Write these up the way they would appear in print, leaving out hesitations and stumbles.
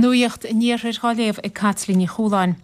Nuacht an Iarthair dhá léamh ag Caitlín Ní Chualáin.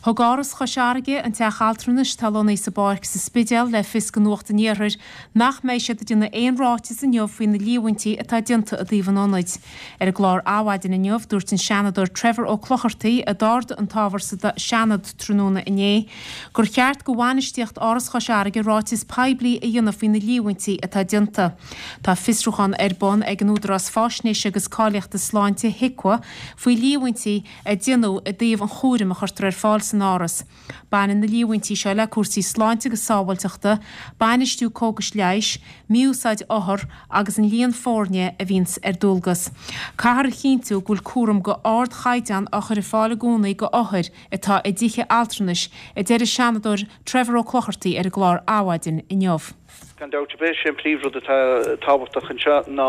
Thug Áras Chois Fharraige, an teach altranais atá lonnaithe sa bPáirc sa Spidéal, le fios do Nuacht an Iarthair nach mbeidh siad ag déanamh aon ráiteas inniu faoi na líomhaintí atá déanta i dtaobh an ionaid. Ar an gclár Adhmhaidin inniu, dúirt an Seanadóir Trevor Ó Clochartaigh, a d'ardaigh an t-ábhar sa Seanad tráthnóna inné, gur cheart do bhainistíocht Áras Chois Fharraige ráiteas poiblí a dhéanamh faoi na líomhaintí atá déanta. Tá fiosrúchán ar bun ag an Údarás Faisnéise agus Cáilíochta Sláinte, HIQA, faoi líomhaintí a déanadh i dtaobh an chúraim a chuirtear ar fáil san Áras. Baineann na líomhaintí seo le cúrsaí sláinte agus sábháilteachta, bainistiú cógais leighis, mí-úsáid othar agus an líon foirne a bhíonns ar dualgas. Caithfear a chinntiú go bhfuil cúram go ardchaighdeán á chur ar fáil i gcónaí go othair atá i dtithe altranais, a deir an Seanadóir Trevor Ó Clochartaigh ar an gclár Adhmhaidin inniu. Gan dabht ar bith, sé an príomhrud atá tábhachtach anseo ná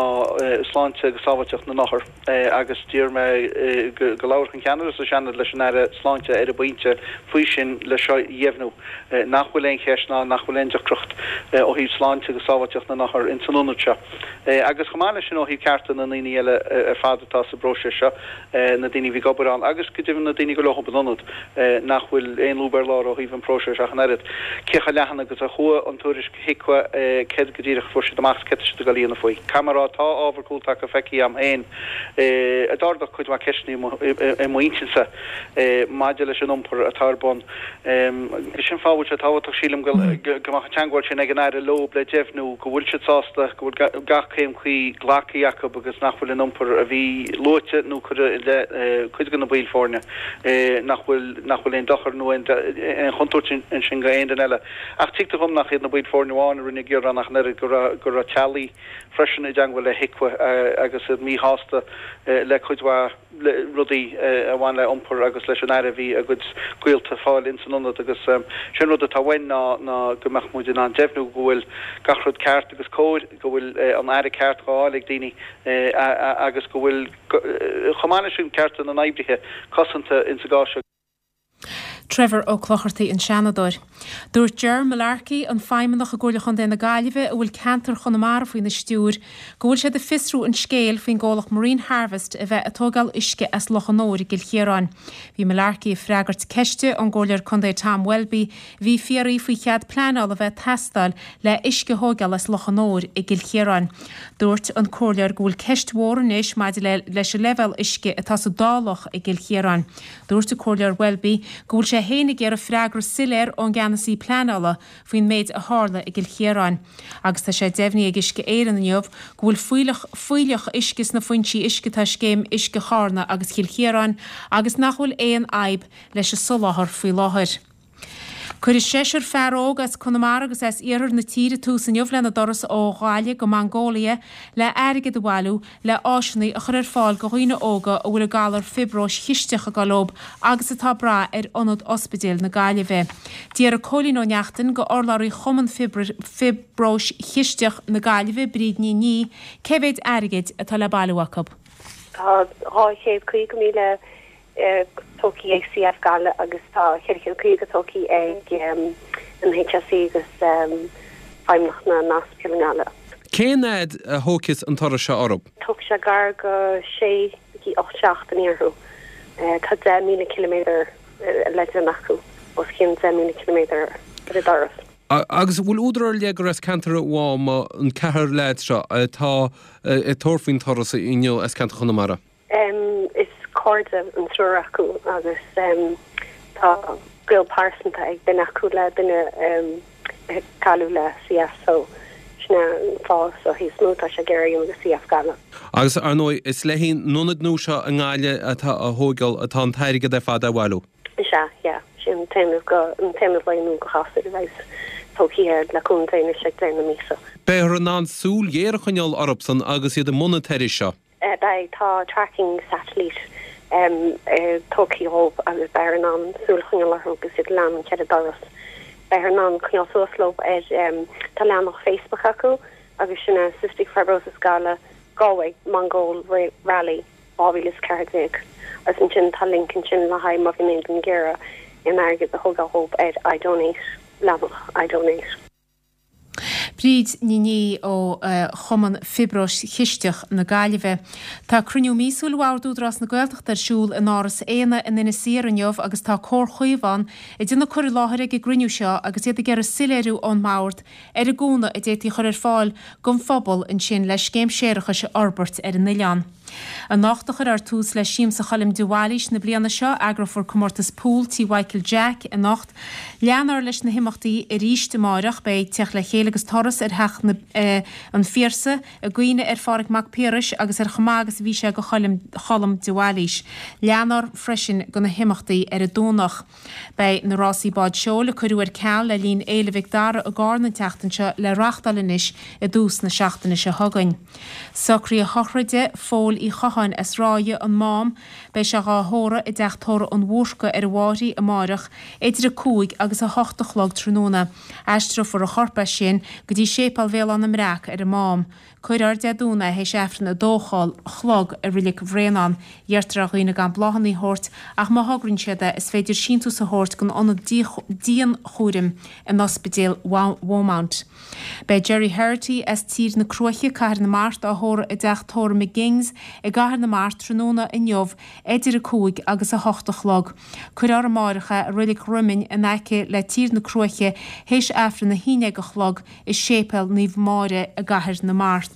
sláinte agus sábháilteacht na n-othar agus d'iarr mé go labharfadh an ceannaire sa Seanad leis an Aire Sláinte ar an bpointe faoi sin le seo a dheimhniú nach bhfuil aon cheist ná nach bhfuil aon deacracht ó thaobh sláinte agus sábháilteacht na n-othar ins an ionad seo agus chomh maith leis sin ó thaobh cearta na ndaoine eile ar fad atá sa bpróiseas seo. na daoine a bhí ag obair ann agus go deimhin na daoine go leob an ionad, nach bhfuil aon lúb ar lár ó thaobh an próiseas ach an oiread. Cé chomh leathan agus a chuaigh an tuairisc HIQA, céard go díreach a fuair siad amach is céard tá siad ag dul a dhéanamh faoi. Caithfidh mé a rá, tá ábhar cúltaca feicthe agam féin a d'ardaigh cuid mhaith ceisteanna i m'intinnse maidir leis an iompar atá ar bun. Sin fáth a bhfuil sé tábhachtach, sílim, go mbeadh an teagmháil sin ag an Aire leob le deimhniú go bhfuil siad sásta go bhfuil gach céim cuí glactha acu agus nach bhfuil an iompar a bhí luaite nó cuireadh i leith cuid de na baill foirne, nach bhfuil nach bhfuil aon dochar nó aon chontúirt ansin go aon duine eile. Ach tuigtear dhom nach iad na baill foirne amháin a rinne gearán ach an oiread, go raibh go raibh teaghlaigh freisin i dteagmháil le HIQA agus iad míshásta le cuid mhaith rudaí a bhain le iompar agus leis an aire a bhí a gcuid gaolta ag fáil ins an ionad agus sé an rud atá uainn ná ná go mbeadh muid in ann deimhniú go bhfuil gach rud ceart agus cóir, go bhfuil an aire ceart dhá fháil ag daoine agus go bhfuil chomh maith leis sin cearta na n-oibrithe cosanta ins an gcás seo. Trevor Ó Clochartaigh, an Seanadóir. Dúirt Ger Mullarkey, an Feidhmeannach i gComhairle Chontae na Gaillimhe a bhfuil ceantar Chonamara faoina stiúir, go bhfuil siad ag fiosrú an scéil faoin gcomhlacht Marine Harvest a bheith ag tóigeáil uisce as Loch an Iúir i gCill Chiaráin. Bhí Mullarkey ag freagairt ceiste ón gComhairleoir Contae Tom Welby a bhí ag fiafraí faoi chead pleanála a bheith ag teastáil le uisce a thóigeáil as Loch an Iúir i gCill Chiaráin. Dúirt an Comhairleoir go bhfuil ceist mhór anois maidir le leis an leibhéal uisce atá sa dá loch i gCill Chiaráin. Dúirt an Comhairleoir Welby go bhfuil sé féin ag iarraidh freagra soiléir ón gceannasaí pleanála faoin méid a tharla i gCill Chiaráin. Agus tá sé deimhnithe ag Uisce Éireann inniu go bhfuil fuílleach fuílleach uisce sna foinsí uisce atá i Scéim Uisce Charna agus Chill Chiaráin agus nach bhfuil aon fhadhb leis an soláthar faoi láthair. Cuirfidh seisear fear óg as Conamara agus as iarthar na tíre tús inniu lena dturas ó Ghaillimh go Mongóilia le airgead a bhailiú le áiseanna a chur ar fáil go dhaoine óga a bhfuil an galar fiobróis chisteach ag dul leo agus atá ag brath ar Ionad Ospidéil na Gaillimhe. D'fhiafraigh Cóilín Ó Neachtain go urlabhraí Chumann Fiobróis Chisteach na Gaillimhe, Bríd Ní Niadh, cé mhéid airgid atá le bailiú acu. Tá 250,000 tógtha ag CF Gaillimh agus tá 450 tógtha ag an HSE agus Feidhmeannacht na nOspidéal i nGaillimh. Cén fhad a thógfas an turas seo orthu? Tógfaidh sé gar go sé go dtí 8 seachtainí orthu. Tá 10,000 ciliméadar le déanamh acu, os cionn 10,000 ciliméadar ar an dturas. Agus an bhfuil údar ar leith gur as ceantar Mháma an ceathrar leaids seo atá ag tabhairt faoin turas inniu as ceantar Chonamara? Is cairde an triúr acu agus tá gaol pearsanta ag duine acu le duine a cailleadh le CF so sin é an fáth so is mó atá sé ag iarraidh a dhéanamh do CF Gaillimh. Agus ar ndóigh is le haghaidh an ionaid nua seo i nGaillimh atá á thóigeáil atá an t-airgead ar fad á bhailiú. Is ea, yeah. Sin an t-aonad go, an t-aonad lae nua do ghasúir a bheas tógtha le cúnamh Dé anois ag deireadh na míosa. Beifear in ann súil ghéar a choinneáil orthusan agus iad i mbun an turais seo. Beidh, tá tracking satellite tógtha dhóibh agus beifear in ann súil a choinneáil orthu agus iad ag leanúint ar an dturas. Beifear in ann coinneáil suas leo ar, tá leathanach Facebook acu agus sin é Cystic Fibrosis Gaillimh Galway Mongol Rally 2014 agus ansin tá link ansin le haghaidh má bhíonn aon duine ag iarraidh aon airgead a thógáil dhóibh ar iDonate, leathanach iDonate. Bríd Ní Niaidh ó Chumann Fiobróis Chisteach na Gaillimhe. Tá cruinniú míosúil Bhord Údarás na Gaeltachta ar siúl in Áras Éanna in Inis Oírr inniu agus tá Comhar Chaomhán ag déanamh cur i láthair ag an gcruinniú seo agus iad ag iarraidh soiléiriú ón mBord ar an gcúnamh a d'fhéadfaí a chur ar fáil don phobal ansin le scéim séarachais a fhorbairt ar an oileán. Anocht a chuirfear tús le Siamsa Choilm de Bhailís na bliana seo. Eagrófar comórtas pool Tí Mhichael Jack anocht. Leanfar leis na himeachtaí arís amáireach. Beidh Teacht le Chéile agus Turas ar Theach an Phiarsaigh i gcuimhne ar Phádhraic Mac Piarais agus ar chomh maith agus a bhí sé do Cholm de Bhailís. Leanfar freisin de na himeachtaí ar an Domhnach. Beidh na rásaí bád seoil a cuireadh ar ceal le linn Fhéile Mhic Dara i gCarna an tseachtain seo le reachtáil anois i dtús na seachtaine seo chugainn. Socruithe sochraide Phóil Uí Chotháin as Ráithe, An Mám, beidh sé dhá thórramh i dTeach Tórraimh an Bhúrca ar an bhFáithrí amáireach idir 5 agus 8 a chlog tráthnóna. Aistreofar a chorp as sin go dtí Séipéal Bhéal Átha na mBreac ar an Mám. Cuirfear Dé Domhnaigh théis Aifreann 2 a chlog i Reilig Bhréanainn. Iarrtar ar dhaoine gan bláthanna a thabhairt ach má thograíonn siad é, is féidir síntiús a thabhairt don ionad dianchúraim in Ospidéal Beaumont. Beidh Gerry Herity as Tír na Cruaiche, Cathair na Mart, á thórramh i dteach tórraimh McGing's i gCathair na Mart tráthnóna inniu idir 5 agus 8 a chlog. Cuirfear amáireach é i Reilig Dhroiminn in aice le Tír na Cruaiche théis Aifreann 11 a chlog i Séipéal Naomh Máire i gCathair na Mart.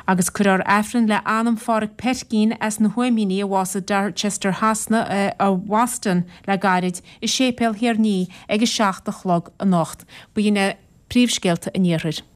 Agus cuirfear Aifreann le anam Phádhraic Peircín as na hUaimíní a bhásaigh Dorchester Shasana i mBoston le gairid i Séipéal Thír an Fhia ag 7 a chlog anocht. B'in é príomhscéalta an Iarthair.